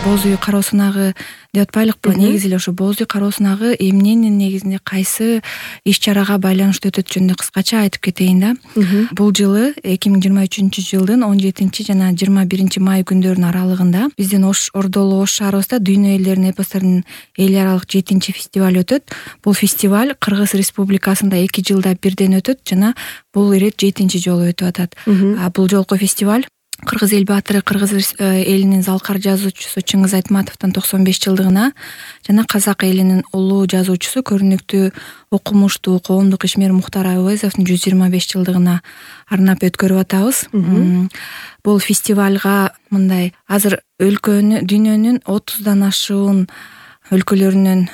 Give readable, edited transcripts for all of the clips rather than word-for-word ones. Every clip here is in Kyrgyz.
боз үй кароо сынагы деп атпайлыкпы? Негизи эле ошо боз үй кароо сынагы эмненин негизинде кайсы иш чарага байланыштуу өтөт жөнүндө кыскача айтып кетейин да. Бул жылы 2023-жылдын 17 жана 21 май күндөрүнүн аралыгында биздин Ордолуу Ош шаарыбызда Дүйнө элдеринин эпостордун эл аралык 7-фестиваль өтөт. Бул фестиваль Кыргыз Республикасында 2 жылда бирден өтөт жана бул ирет 7 жолу өтүп атат. Бул жолку фестиваль Кыргыз эл баатыры, Кыргыз элинин залкар жазуучусу Чыңгыз Айтматовдун 95 жылдыгына жана казак элинин улуу жазуучусу, көрүнүктүү окумуштуу коомдук ишмер Мухтар Абайзовдун 125 жылдыгына арнап өткөрүп атабыз. Бул фестивалга мындай азыр дүйнөнүн 30дан ашуун өлкөлөрүнөн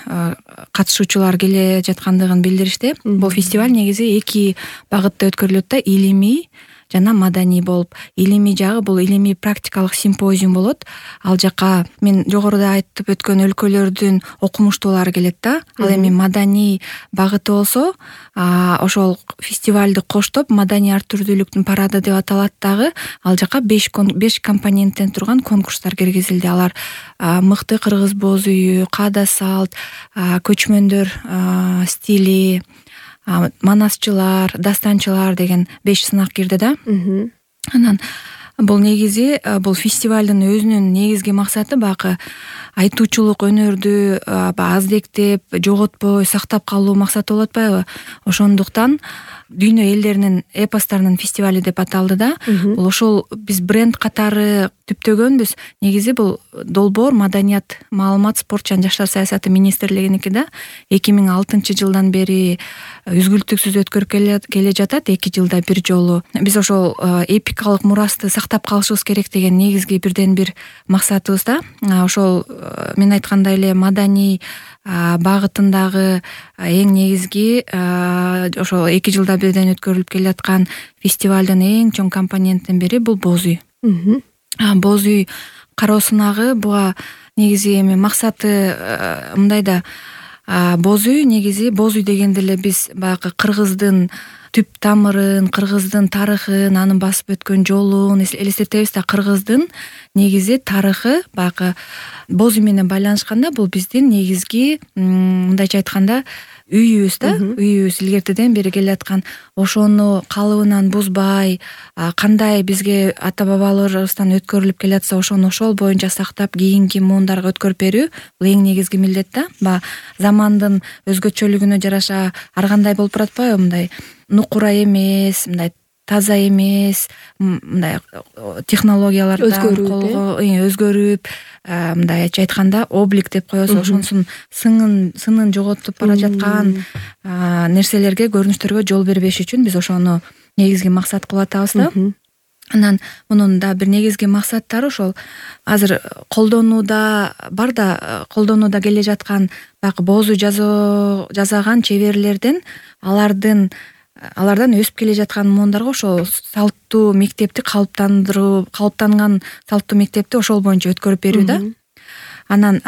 катышуучулар келе жаткандыгын билдиришти. Бул фестиваль негизи 2 багытта өткөрүлөт да, илимий жана маданий болуп. Илимий жагы бул илимий практикалык симпозиум болот. Ал жака мен жогоруда айтып өткөн өлкөлөрдүн окумуштуулары келет да. Ал эми маданий багыты болсо, ошол фестивалды коштоп маданий ар түрдүүлүктүн парады деп аталат дагы. Ал жака 5 компоненттен турган конкурстар киргизилди. Алар мыкты кыргыз боз үйү, каада салт, көчмөндөр стили, манасчылар, дастанчылар деген 5 сынак кирди да. Анан бул негизи бул фестивалдын өзүнүн негизги максаты баягы айтуучулук өнөрдү аздектеп, жоготпой сактап калуу максаты болуп атпайбы? Ошондуктан Дүйнө элдеринин эпосторунун фестивали деп аталды да. Бул ошол биз бренд катары түптөгөнбүз. Негизи бул долбоор маданият, маалымат, спорт жана жаштар саясаты министрлигиники да. 2006-жылдан бери үзгүлтүксүз өткөрүп келе жатат, 2 жылда бир жолу. Биз ошол эпикалык мурасты сактап калышыбыз керек деген негизги бирден бир максатыбыз да. Ошол мен айткандай эле маданий багытындагы эң негизги ошол 2 жылда бирден өткөрүлүп келе жаткан фестивалдын эң чоң компоненттин бири бул боз үй. Боз үй кароо сынагы буга негизи эми максаты мындай да. Боз үй негизи боз үй дегенде эле биз баягы кыргыздын түп тамырын, кыргыздын тарыхын, анын басып өткөн жолун элестетебиз да. Кыргыздын негизи тарыхы баягы боз үй менен байланышканда бул биздин негизги мындайча айтканда үйүбүз да. Үйүбүз илгертеден бери келе аткан. Ошону калыбынан бузбай, кандай бизге ата бабаларыбыздан өткөрүлүп келе атса, ошону ошол боюнча сактап кийинки муундарга өткөрүп берүү бул эң негизги милдет да. Замандын өзгөчөлүгүнө жараша ар кандай болуп баратпайбы? Мындай нукура эмес, мындай таза эмес, мындай технологиялардан өзгөрүп, мындайча айтканда облик деп коебуз, ошонусун сынын жоготуп бара жаткан нерселерге, көрүнүштөргө жол бербеш үчүн биз ошону негизги максат кылып атабыз да. Анан мунун да бир негизги максаттары ошол азыр колдонууда бар да, колдонууда келе жаткан баягы боз үй жасаган чеберлерден алардан өсүп келе жаткан муундарга ошол салттуу мектепти калыптанган салттуу мектепти ошол боюнча өткөрүп берүү да. Анан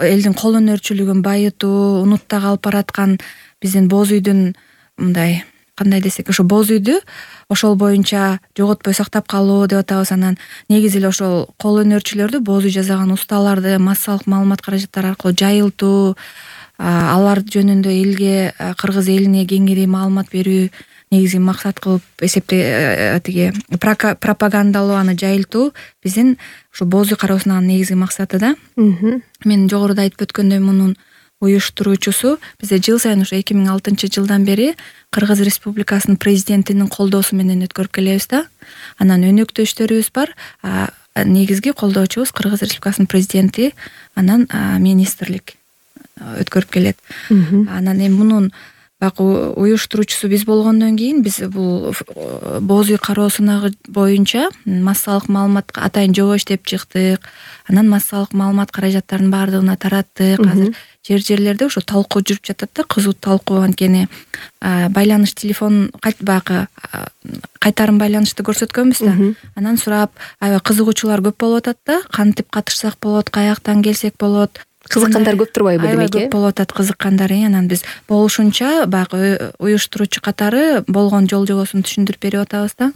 элдин кол өнөрчүлүгүн байытуу, унутта калып бараткан биздин боз үйдүн мындай кандай десек, ошо боз үйдү ошол боюнча жоготпой сактап калуу деп атабыз. Анан негизи эле ошол кол өнөрчүлөрдү, боз үй жасаган усталарды массалык маалымат каражаттары аркылуу жайылтуу, алар жөнүндө элге, кыргыз элине кеңири маалымат берүү негизги максат кылып тиги пропагандалоо, аны жайылтуу биздин ушу боз үй кароо сынагынын негизги максаты да. Мен жогоруда айтып өткөндөй мунун уюштуруучусу бизде жыл сайын ушу 2006-жылдан бери Кыргыз Республикасынын президентинин колдоосу менен өткөрүп келебиз да. Анан өнөктөштөрүбүз бар. Негизги колдоочубуз Кыргыз Республикасынын президенти, анан министрлик өткөрүп келет. Анан эми мунун уюштуруучусу биз болгондон кийин биз бул боз үй кароо сынагы боюнча массалык маалымат атайын жобо иштеп чыктык. Анан массалык маалымат каражаттарынын баардыгына тараттык. Азыр жерлерде ошо талкуу жүрүп жатат да, кызуу талкуу. Анткени байланыш телефон баягы кайтарым байланышты көрсөткөнбүз да. Анан сурап, аябай кызыгуучулар көп болуп атат да. Кантип катышсак болот, каяктан келсек болот. Кызыккандар көп турбайбы демек? Аябай көп болуп атат кызыккандар. Анан биз болушунча баягы уюштуруучу катары болгон жол жобосун түшүндүрүп берип атабыз да.